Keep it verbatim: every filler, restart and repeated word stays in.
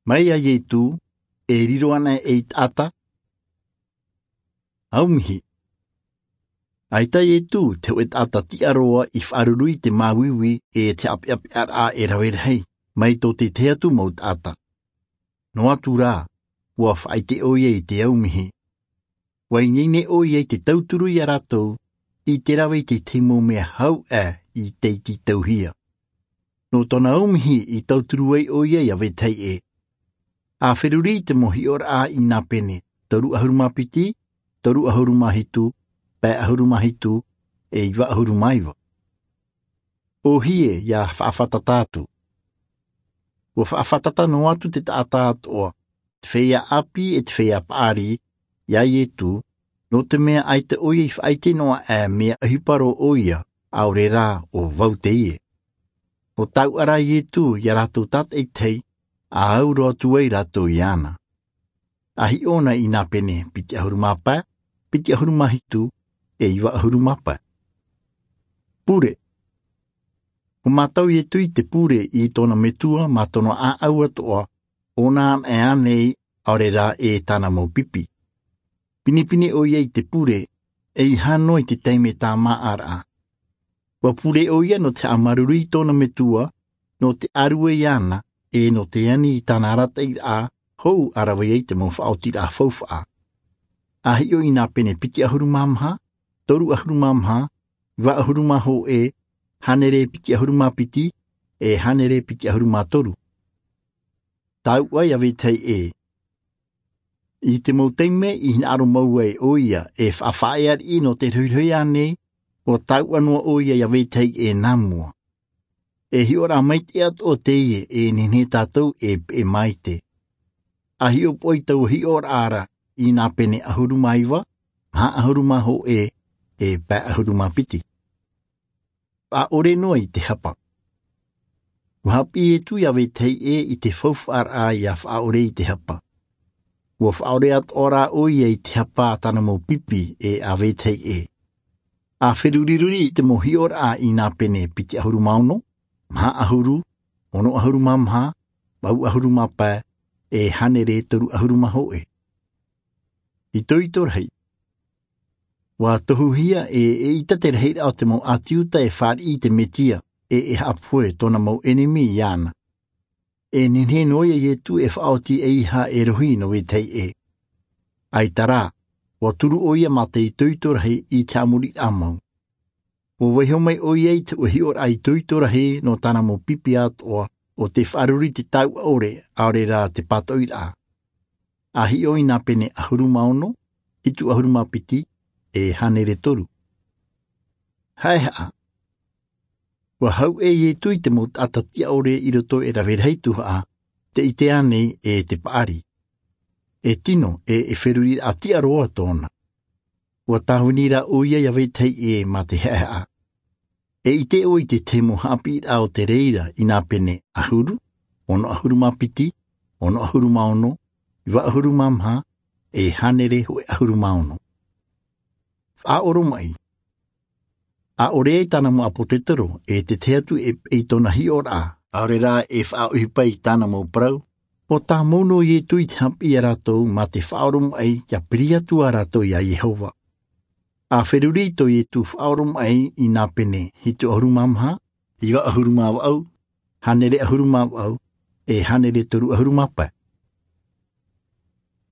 Mai iā Ietu, e riro ana ei taʻata? Aumihi. ʻAita Ietu te hōʻē taʻata tiʻa roa i faʻaruru i te māuiui e te haʻapeʻapeʻaraʻa e rave rahi mai tō te tahi atu mau taʻata. Noa atu rā, ua faʻaʻite ʻoia i te aumihi. Ua ineine ʻoia i te tauturu iā rātou i te rave i te tahi mau mea hau ʻā i te iti tauhia. Nō tōna aumihi i tauturu ai ʻoia iā vetahi ʻē. A feruri i te mau hiʻoraʻa i nā pene toru ʻahuru mā piti, toru ʻahuru mā hitu, pae ʻahuru mā hitu, e iva ʻahuru mā iva. ʻOhie ia faʻafatata atu. Ua faʻafatata noa atu te taʻata atoʻa, te feiā ʻāpī e te feiā paʻari, iā Ietu, nō te mea ʻaita ʻoia i faʻaʻite noa ʻā mea ʻohipa roa ʻoia, ʻaore rā ʻo vau teie. ʻO tauʻa rā Ietu iā rātou tātaʻitahi, a au roa atu ai rātou iāna. A hiʻo na i nā pene piti ʻahuru mā pae, piti ʻahuru mā hitu, e iva ʻahuru mā pae. Pure. Ua mātau Ietu i te pure i tōna metua mā tōna ʻāʻau atoʻa, ʻōna anaʻe ānei, ʻaore rā e tāna mau pipi. Pinepine ʻoia i te pure, e ʻeiaha noa i te taime tāmāʻaraʻa. Ua pure ʻoia nō te haʻamāuruuru i tōna metua, nō te ʻārue iāna, e nō te ani i tāna arataʻiraʻa hou a rave ai te mau faʻaotiraʻa faufaʻa. A hiʻo i nā pene piti ʻahuru mā maha, toru ʻahuru mā maha, iva ʻahuru mā hōʻē, hānere piti ʻahuru mā piti, e hānere piti ʻahuru mā toru. Tauʻa iā vetahi ʻē. I te mau taime i hinaʻaro mau ai ʻoia e faʻafaʻaea riʻi nō te rohirohi ānei, ua tauʻa noa ʻoia iā vetahi ʻē nā mua. E hiʻoraʻa maitaʻi atoʻa teie e nehenehe tātou e peʻe maite. A hiʻopoʻa i taua hiʻoraʻa ra i nā pene ʻahuru mā iva, maha ʻahuru mā hōʻē, e pae ʻahuru mā piti. Faʻaʻore noa i te hapa. Ua haʻapiʻi Ietu iā vetahi ʻē i te faufaʻaraʻa ia faʻaʻore i te hapa. Ua faʻaʻore atoʻa rā ʻoia i te hapa a tāna mau pipi e a vetahi ʻē. A feruriruri i te mau hiʻoraʻa i nā pene piti ʻahuru mā ono, maha ʻahuru, ono ʻahuru mā maha, vaʻu ʻahuru mā pae, e hānere toru ʻahuru mā hōʻē. Itoito rahi. Ua tohuhia e, eʻita te rahiraʻa o te mau ʻĀti Iuta e fāriʻi i te Mesia, e e haʻapohe tōna mau ʻenemi iāna. E nehenehe noa ia Ietu e faʻaoti ʻeiaha e rohi nō vetahi ʻē. ʻAita rā, ua turu ʻoia mā te itoito rahi i te haʻamoriraʻa mau. Ua vaiiho mai ʻoia i te hiʻoraʻa itoito rahi nō tāna mau pipi atoʻa, ʻo tē faʻaruru i te tauʻa ʻore, ʻaore rā te pātoʻiraʻa. A hiʻo i nā pene ʻahuru mā ono, hitu ʻahuru mā piti, e hānere toru. Haʻehaʻa. Ua hau ʻē Ietu i te mau taʻata tiʻa ʻore i roto e rave rahi tuhaʻa, tē ʻite ānei e te paʻari. E tino, e, e feruriraʻa tiʻa roa tōna. Ua tāvini rā ʻoia iā vetahi ʻē mā te haʻehaʻa. E ʻite ʻoe i te tahi mau haʻapiʻiraʻa o te reira i nā pene ʻahuru, ono ʻahuru mā piti, ono ʻahuru mā ono, iva ʻahuru mā maha, e hānere hōʻē ʻahuru mā ono. Faʻaoromaʻi. ʻAʻore ai tāna mau ʻāpōsetolo, e te tahi atu e, e tōna hiʻoraʻa, ʻaore rā e faʻaʻohipa i tāna mau parau, ʻua tāmau noa Ietu i te haʻapiʻi ia rātou mā te faʻaoromaʻi ia piri atu ā rātou iā Iehova. A feruri tō Ietu faʻaoromaʻi i nā pene hitu ʻahuru mā maha, iva ʻahuru mā vaʻu, hānere ʻahuru mā vaʻu, e hānere toru ʻahuru mā pae.